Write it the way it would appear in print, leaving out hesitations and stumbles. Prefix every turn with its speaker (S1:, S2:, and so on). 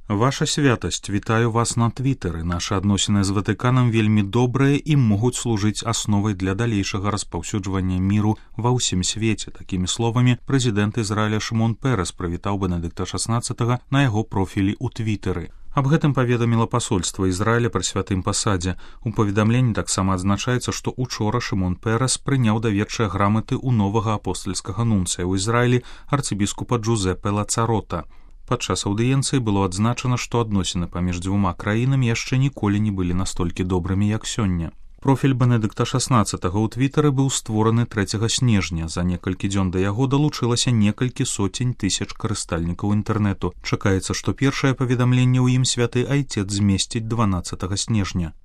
S1: Ваша святасць, вітаю вас на твітары. Нашы адносіны з Ватыканам вельмі добрыя і могуць служыць асновай для далейшага распаўсюджвання міру ва ўсім свеце. Такімі словамі прэзідэнт Ізраіля Шымон Пэрэс прывітаў Бенедыкта XVI на яго профілі ў твітары. Аб гэтым паведаміла пасольства Ізраіля пры святым пасадзе. У паведамленні таксама адзначаецца, што учора Шымон Пэрэс прыняў даверчыя граматы ў новага апостальскага нунцыя ў Ізраілі арцыбіскупа Джузепе Лацарота. Падчас аўдыенцыі было адзначана, што адносіны паміж дзвюма краінамі яшчэ ніколі не былі настолькі добрымі, як сёння. Профіль Бенедыкта XVI ў твітары быў створаны 3 снежня. За некалькі дзён да яго далучылася некалькі сотень тысяч карыстальнікаў інтэрнэту. Чакаецца, што першае паведамленне ў ім святы айцец змесціць 12 снежня.